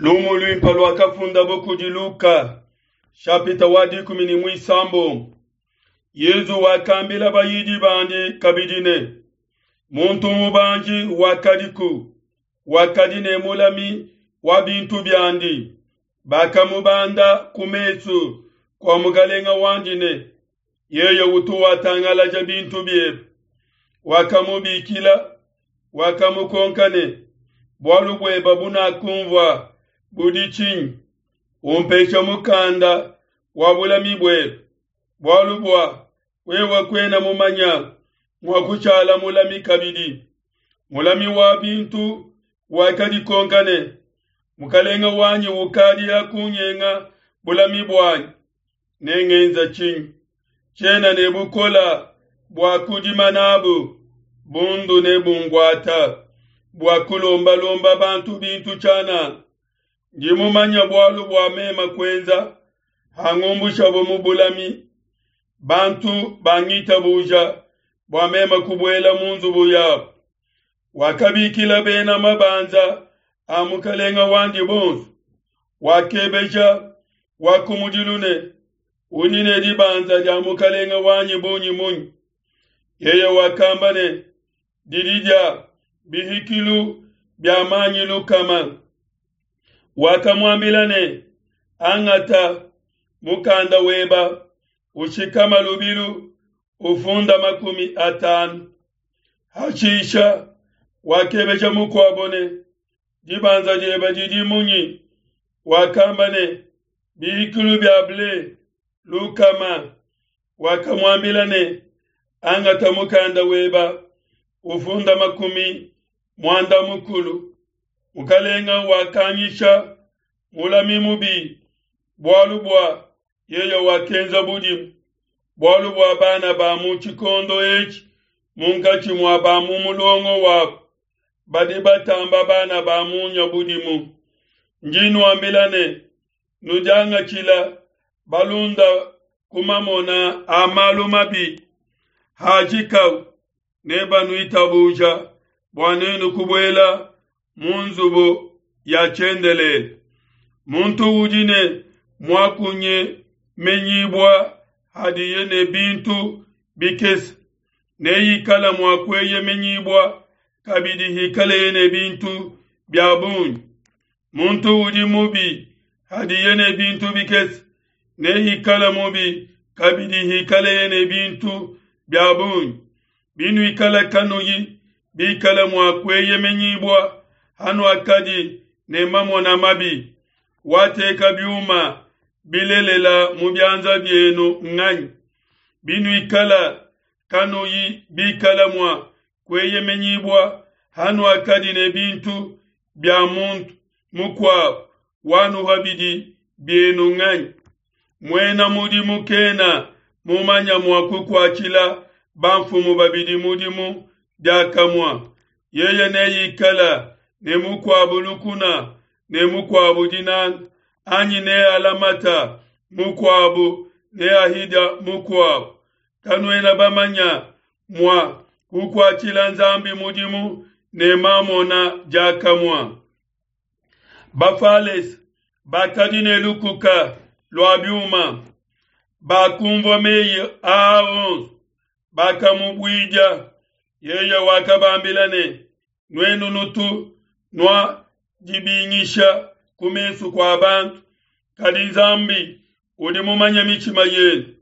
Lumu luimpe luakafundabo kudi Luka, shapita wa dikumi ne muisambombo. Yezu wakambila bayidi bandi kabidi ne, Muntu mubanji wakadiku, wakadi ne mulami wa bintu biandi. Bakamubanda ku mesu kua mukalenga wandi ne, Yeye utu watangalaja bintu biebe. Wakamubikila, wakamukonka ne, Bualu bueba bunakumvua budi tshinyi? Umpesha mukanda wa bulami buebe, bualu bua wewe kuena mumanya mua kushala mulami kabidi. Mulami wa bintu wakadikonka ne, Mukalenga wanyi ukadi akunyenga bulami buanyi, nengenza tshinyi? Tshiena ne bukola bua kudima nabu, bundu nebunguata bua kulombalomba bantu bintu tshianana. Ndi mumanya bualu bua mema kuenza, hangumbushabo mu bulami, bantu bangitabuja bua mema kubuela mu nzubu yabo. Wakabikila bena mabanza a mukalenga wandi bonso, wakebeja wa kumudilu ne, Udi ne dibanza dia mukalenga wanyi bungi munyi? Yeye wakamba ne, Didi dia bihikilu bia manyi lukama. Wakamuambila ne, Angata mukanda weba, ushikama lubilu, ufunda 50. Hashisha wakebeja mukuabo ne, Dibanza diebe didi munyi? Wakamba ne, Bihikilu bia ble lukama. Wakamuambila ne, Angata mukanda weba, ufunda 60. Mukalenga wakanyisha mulami mubi bualu bua yeye wakenza budimu, bualu bua bana ba mu tshikondo etshi munkatshi mua ba mu mulongo wabo badi batamba bana ba munya budimu. Ndi nuambila ne, nudiangatshila balunda ku mamona a malu mabi hajikau, nebanuitabuja bua nenu kubuela mu nzubu ya tshiendelele. Muntu udi ne muakunyemenyibua hadiye ne bintu bikese, neikala mua kueyemenyibua kabidi hikaleye ne bintu bia bungi. Muntu udi mubi hadiye ne bintu bikese, neikala mubi kabidi hikaleye ne bintu bia bungi. Binuikala kanuyi bikala mua kueyemenyibua hanuakadi ne mamona mabi, wateka biuma bilelela mu bianza bienu nganyi? Binuikala kanuyi bikala mua kueyemenyibua hanuakadi ne bintu bia muntu mukuabo, wanuha bidi bienu nganyi? Muena mudimu kena mumanya mua kukuatshila bamfumu babidi mudimu diakamua. Yeye neikala ne mukuabu lukuna ne mukuabu dinanga, anyi nealamata mukuabu neahidia mukuabu. Kanuena bamanya mua kukuatshila Nzambi mudimu ne mamona diakamua. Bafalese bakadi ne lukuka lua biuma, bakumvua meyi aa onso, bakamubuidia. Yeye wakabambila ne, Nuenu nutu nuadibingisha ku mesu kua bantu, kadi Nzambi udi mumanye mitshima yenu.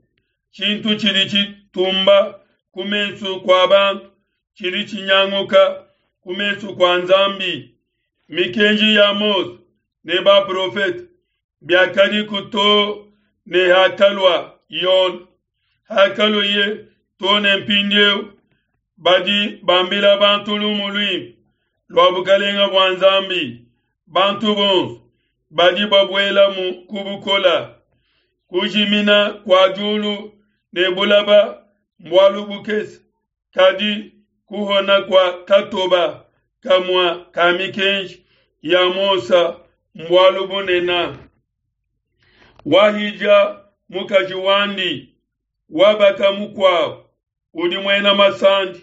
Tshintu tshidi tshitumba ku mesu kua bantu tshidi tshinyanguka ku mesu kua Nzambi. Mikenji ya Mose ne baprofete biakadiku too ne hakalua Yone. Hakalueye too ne mpindieu, badi bambila bantu lumu luimpe lua bukalenga bua Nzambi. Bantu bonso badi babuelamu ku bukola. Kujimina kua diulu ne bulaba mbualu bukese, kadi kuhona kua katoba kamua ka mikenji ya Mose mbualu bunene. Wahidia mukaji wandi, wabaka mukuabo udi muena masandi,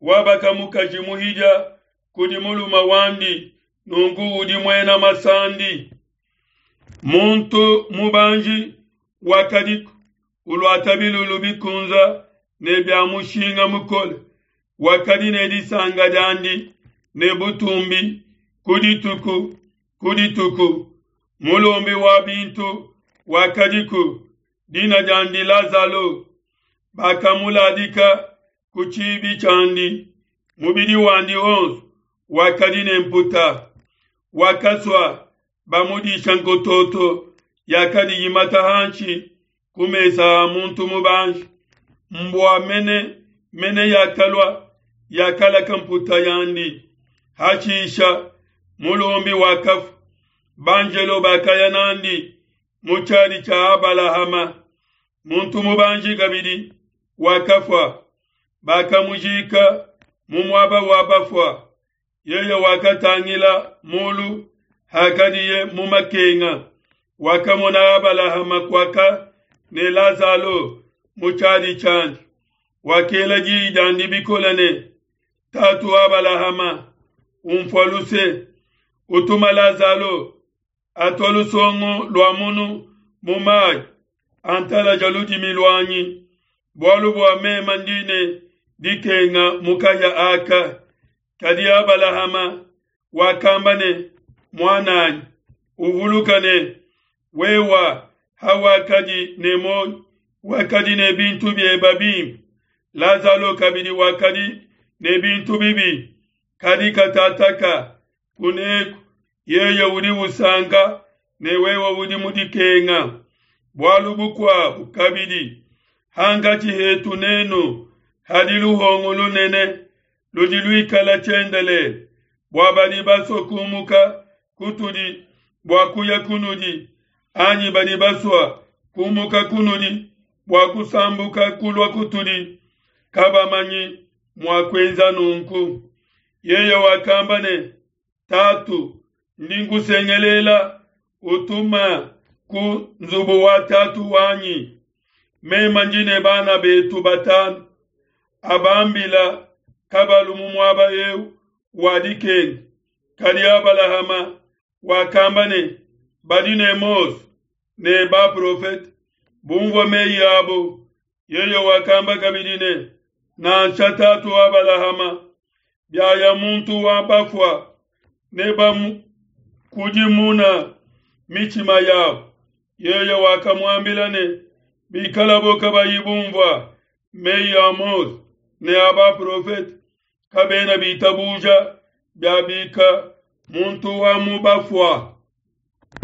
wabaka mukaji muhidia kudi mulume wandi. nunku udi muena masandi. Muntu mubanji wakadiku uluata bilulu bikunza ne bia mushinga mukole, wakadi ne disanka diandi ne butumbi ku dituku ku dituku. Mulombi wa bintu wakadiku, dina diandi Lazalo, bakamuladika ku tshibi tshiandi, mubidi wandi wonso wakadi ne mputa. Wakasua bamudisha nkototo yakadi yimata hanshi ku mesa a muntu mubanji. Mbua mene mene yakalua yakalaka mputa yandi. Hashisha mulombi wakafua, banjelo bakaya nandi mu tshiadi tshia Abalahama. Muntu mubanji kabidi wakafua, bakamujika mu muaba wa bafua. Yeye wakatangila mulu hakadiye mu makenga, wakamona Abalahama kuaka ne Lazalo mu tshiadi tshiandi. Wakela diyi diandi bikole ne, Tatu Abalahama, unfua luse, utuma Lazalo atua lusongo lua munu mu mayi, antalaja ludimi luanyi, bualu bua meme ndi ne dikenga mu kahia aka. Kadi Abalahama wakamba ne, Muananyi, uvuluka ne, wewa hawakadi ne muoyo wakadi ne bintu bieba bimpe, Lazalo kabidi wakadi ne bintu bibi, kadi katataka kuneku yeye udi usanka ne wewe udi mu dikenga. Bualu bukuabu kabidi, hankatshi hetu nenu hadi luhongo lunene ludi luikala tshiendelele, bua badi basua kumuka kutudi bua kuya kunudi, anyi badi basua kumuka kunudi bua kusambuka kulua kutudi, kabamanyi mua kuenza nunku. Yeye wakamba ne, Tatu, ndi nkusengelela, utuma ku nzubu wa tatu wanyi. Meme ndi ne bana betu batanu, abambila kabalu mu muaba eu wa dikenga. Kadi Abalahama wakamba ne, Badi ne Mose ne baprofete, bumvua meyi abo. Yeye wakamba kabidi ne, Nansha tatu Abalahama, biaya muntu wa bafua, nebamukudimuna mitshima yabo. Yeye wakamuambila ne, Bikalabo kabayi bumvua meyi a Mose ne a baprofete, kabena bitabuja biabika muntu wa mu bafua.